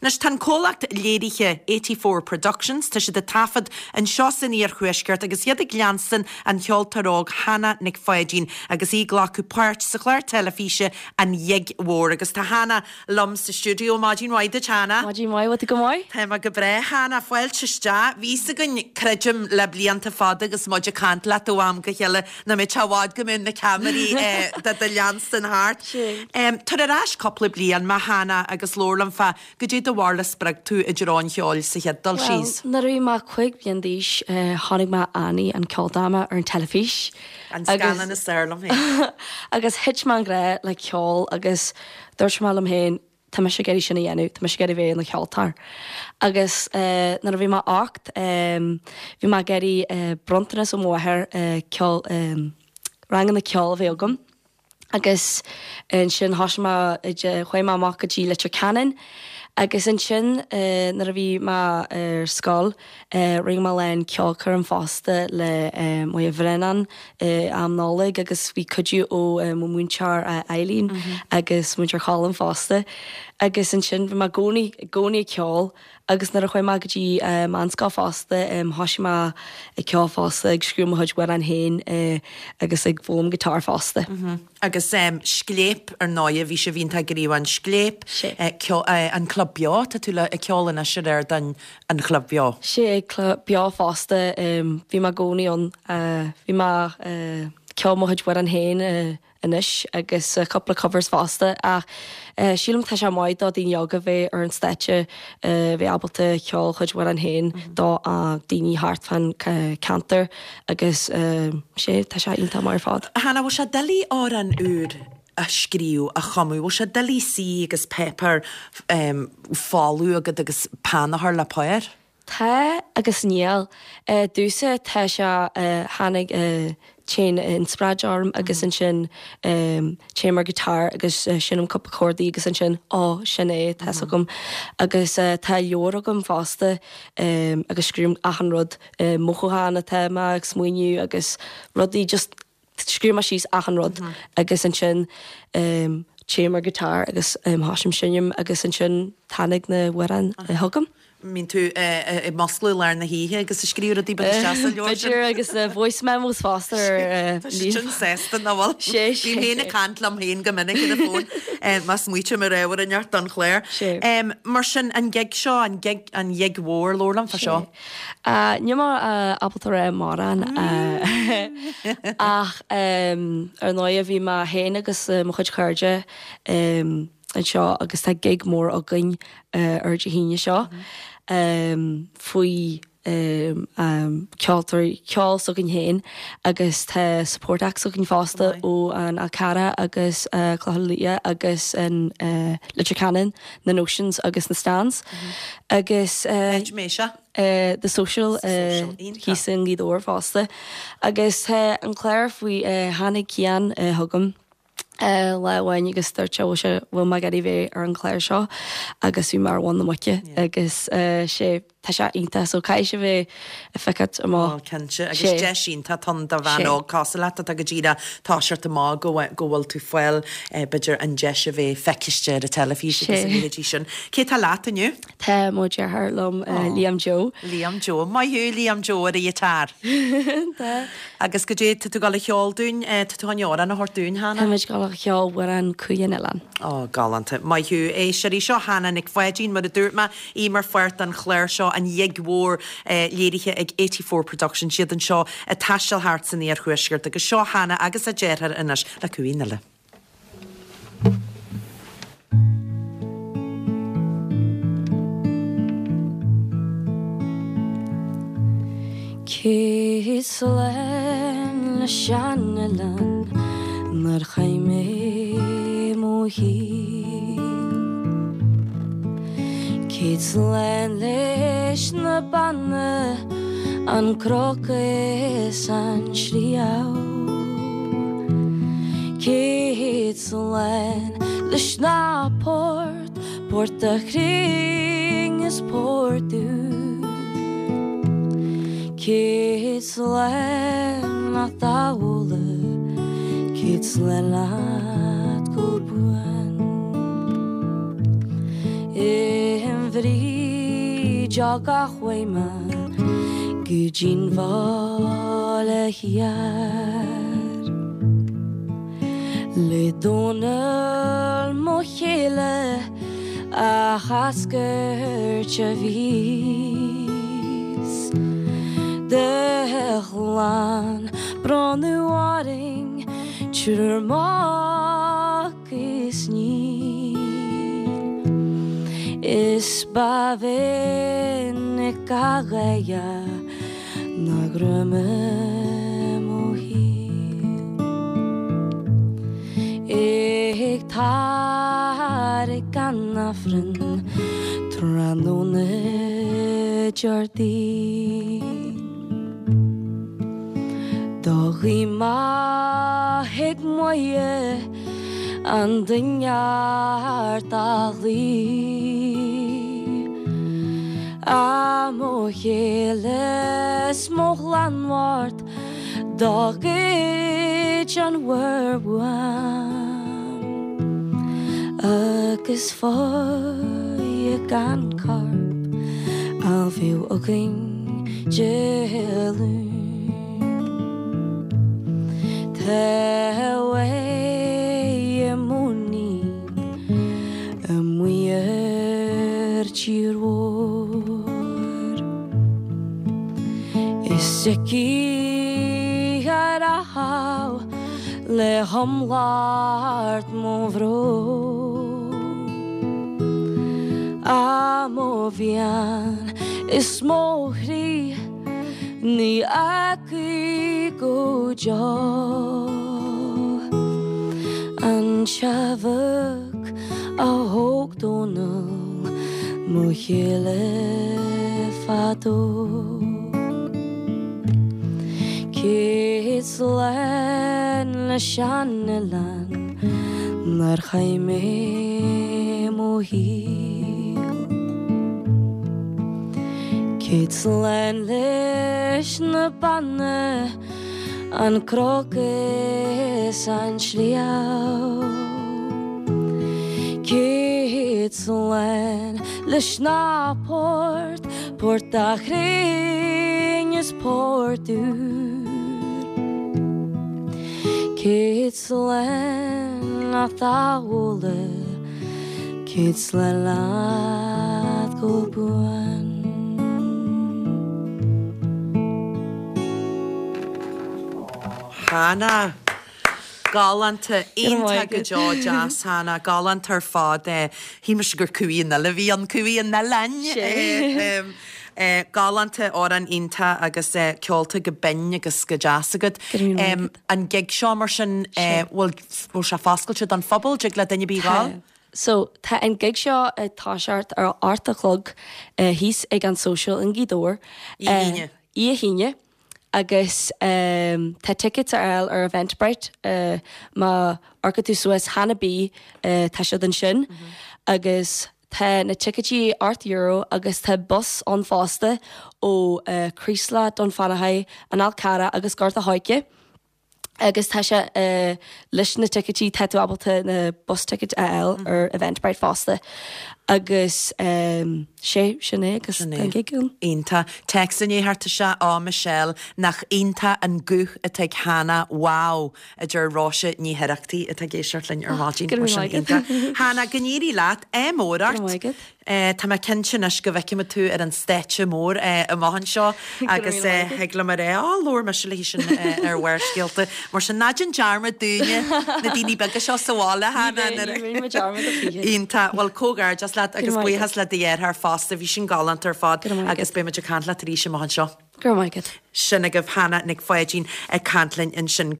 Anois tá an comhlacht léirithe 84 Productions, tá siad ag taifead anseo san iarthuaisceart agus iad ag leanstan an cheoltóir óg Hannah Nic Pháidín agus í ag glacadh páirt sa chlár teilifíse An Ghig Mhór agus tá Hannah liom sa stiúideo. Maidin mhaith duit Hannah. Maidin mhaith, bhfuil tú go maith? Tá mé go breá Hannah, fáilte isteach. Bhí fhios againn, creidim, le blianta fada agus muid ag caint leat ó am go chéile nach mbeadh sé i bhfad go mbeadh na ceamaraí do do leanstan thart. Tar ar ais cúpla bliain mé Hannah agus labhair liom fá goidé do bharúil a spreag tú i dtreo an cheoil sa chéad dul síos. Bhuel, nuair a bhí mé 5 bliain d'aois, chonaic mé Annie an ceoldráma ar an teilifís. An scannán is fearr liom féin. Agus thit mé i ngrá le ceol agus dúirt mé liom féin, tá mise ag iarraidh sin a dhéanamh, tá mise ag iarraidh bheith ina cheoltóir. Agus nuair a bhí mé 8, bhí mé ag iarraidh bronntanas ó mo mháthair ceol, ranganna ceoil a bheith agam. Agus ansin thosaigh mé, chuaigh mé amach go dtí Leitir Ceanainn agus ansin nuair a bhí mé ar scoil, Rinne mé a lán ceolchoirm fosta le Moya Bhreathnach i am Nollag agus bhí cuidiú ó mo mhúinteoir Eileen agus múinteoir Colm fosta. Agus ansin bhí mé i gcónaí, i gcónaí ag ceol agus nuair a chuaigh mé go dtí meánscoil fosta thosaigh mé ag ceol fosta, ag scríobh mo chuid amhrán féin agus ag foghlaim guitar fosta. Agus Scléip, ar ndóighe, bhí sibh iontach gníomhach in Scléip, an Club Beo, tá tú le ag ceol anois ar ardán an Chlub Beo. Sea, Club Beo fosta, bhí mé i gcónaí ann, bhí mé ag ceol mo chuid amhrán féin anois agus cúpla covers fosta ach sílim tá sé maith do daoine óga bheith ar an stáitse, bheith ábalta ceol a chuid amhrán féin do daoine thart fán ceantar agus sea, tá sé iontach maith ar fad. Hannah, bhfuil sé doiligh amhrán úr a scríobh, a chumadh? Bhfuil sé doiligh suí agus páipéar folamh agat agus peann a chur le pár? Tá agus níl. Domhsa tá sé, tháinig, téann inspioráid orm agus ansin téim ar guitar agus seinnim cúpla cordaí agus ansin, ó, sin é, tá's agam. Agus tá leabhar agam fosta agus scríobhaim achan rud, mothúchán atá mé ag smaoineamh agus rudaí just, Scríobh mé síos achan rud agus ansin téim ar guitar agus thosaím seinm agus ansin tháinig na hamhráin chugam. Mbíonn tú ag musclú i lár na hoíche agus ag scríobh rudaí beaga isteach sa leabhar sin? B'fhéidir agus na voice memos fosta ar Tá siad sin sásta nach bhfuil? Sé, sé. Bím féin ag caint liom féin go minic ar an bhfón má smaoitím ar ábhar inteacht don chlár. Sé. Mar sin, an gig seo, an gig, an ghig mhór, labhair liom fá seo. Níl mé ábalta rá mórán ach ar ndóigh bhí mé féin agus mo chuid cairde anseo agus tá gig mór againn ar Dé hAoine seo faoi ceoltóirí ceol s'againn féin agus tá support acts againn fosta ó an Fhál Carrach agus Clochán Liath agus an Leitir Ceanainn. na Notions agus na Stands agus Áit mé seo? The Social thíos i nGaoth Dobhair fosta. Agus tá an clár faoi tháinig Cian chugam lá amháin agus dúirt sé bhfuil sé bhfuil mé ag iarraidh bheith ar an chlár seo agus bhí mé ar mhuin na muice agus sé Tá sé iontach so caithfidh sibh é a feiceáilt amach. Ó cinnte, agus deis iontach ann do bhean óg cosúil leat atá go díreach toiseacht amach go go bhfuil tú fáil b'fhéidir an deis a bheith feiciste ar an teilifís agus a leithéidí sin. Cé tá leat inniu? Tá mo dheartháir liom, Liam Joe. Liam Joe. Maith thú Liam Joe ar an ghiotár. Tá. Agus goidé tá tú ag dul a cheol dúinn, tá tú chun amhrán a thabhairt dúinn, Hannah? Táimid ag dul a cheol amhrán Cúil an Oileáin. Ó, galánta. Maith thú. Éisteoirí, seo Hannah Nic Pháidín, mar a dúirt mé, í mar pháirt den chlár seo, An Ghig Mhór, léirithe ag 84 Productions, iad anseo ag taisteal thart san iarthuaisceart agus seo Hannah agus a deartháir anois le Cú an Oileáin. Céad slán le sean-oileán 'nar chaith mé mo shaol. Céad slán leis na banna, an cnoc is an sliabh. Céad slán leis na poirt, Port a' Chrinn is Port Úr. Céad slán leat a Ola, céad slán leat go buan. bhrídeog a chuaigh mé go dtí'n bhaile thiar. Le Dónall mo chéile a threascairt a bhíos De chlann bronnadh orainn triúr mac is iníon. Is ba mhinic a ghaire ná greim i mo shaol. Ag tarrac an Aifrinn tráthnóna Déardaoin. Do ghuí mé chuig Muire an duine ort a ghlaoigh. A mo chéile 's mo ghlanmhort do ghoid an mhuir uaim agus faigh gan corp a bheadh againn Dé Luain. Tá uaigh mo níon amuigh ar tír mhór. Is aici a raibh le hiomlán mo bhrón. Á mo bhean is mo chroí ní fhágfaidh go deo an seabhac a thóg Dónall mo chéile fadó. Céad slán leis an oileán nár chaith mé mo shaol. Céad slán leis na Beanna, an cnoc is an sliabh. Céad slán leis na poirt, Port a' Chrainn is Port Úr. Céad slán leat a Mháire, céad slán leat go buan. Hannah. Galánta, iontach go deo deas Hannah, galánta ar fad. Shíl mise gur Cumhaidh an Fhile a bhí ann, Cumhaidh an Oileáin. Galánta, amhrán iontach agus ceolta go binn agus go deas agat. An gig seo mar sin, bhfuil bhfuil sé foscailte don phobal, dtig le duine ar bith ghabháil? So, tá an gig seo ag toiseacht ar a 8 a chlog thíos ag an Social i nGaoth Dobhair. Oíche hAoine. Oíche hAoine. Agus tá tickets ar fháil ar Eventbrite má amharcann tú suas Hannah B tá siad ansin agus tá na ticéidí €8 agus tá bus ann fosta ó Creeslough, Dún Fionnachaidh, An Fhál Carrach agus Gort a' Choirce. Agus tá sé leis na ticéidí tá tú ábalta na bus tickets a fháil ar Eventbrite fosta. Agus sé, sin é agus tá an gig ann. Iontach. Téacs i ndiaidh theacht isteach, Á Michelle, nach iontach an guth atá ag Hannah, wow! a deir Róise Ní hOireachtaigh atá ag éisteacht linn ar maidin. Go raibh maith agat. Hannah, go n-éirí leat. Ádh mór ort. Go raibh maith agat. Tá mé cinnte anois go bhfeicfimid tú ar an stáitse mór amach anseo agus thig liom a rá, á, labhair mise léi sin ar Bharrscéalta. Mar sin, ná déan dearmad dúinne, na daoine beaga seo sa bhaile, Hannah. Ní bheidh mé dearmad a choíche. Iontach. Bhuel, comhghairdeas leat agus buíochas le do dheartháir fosta. Bhí sin galánta ar fad agus beidh muid ag caint leat arís amach anseo. Go raibh maith agat. Sin agaibh Hannah Nic Pháidín ag caint linn ansin.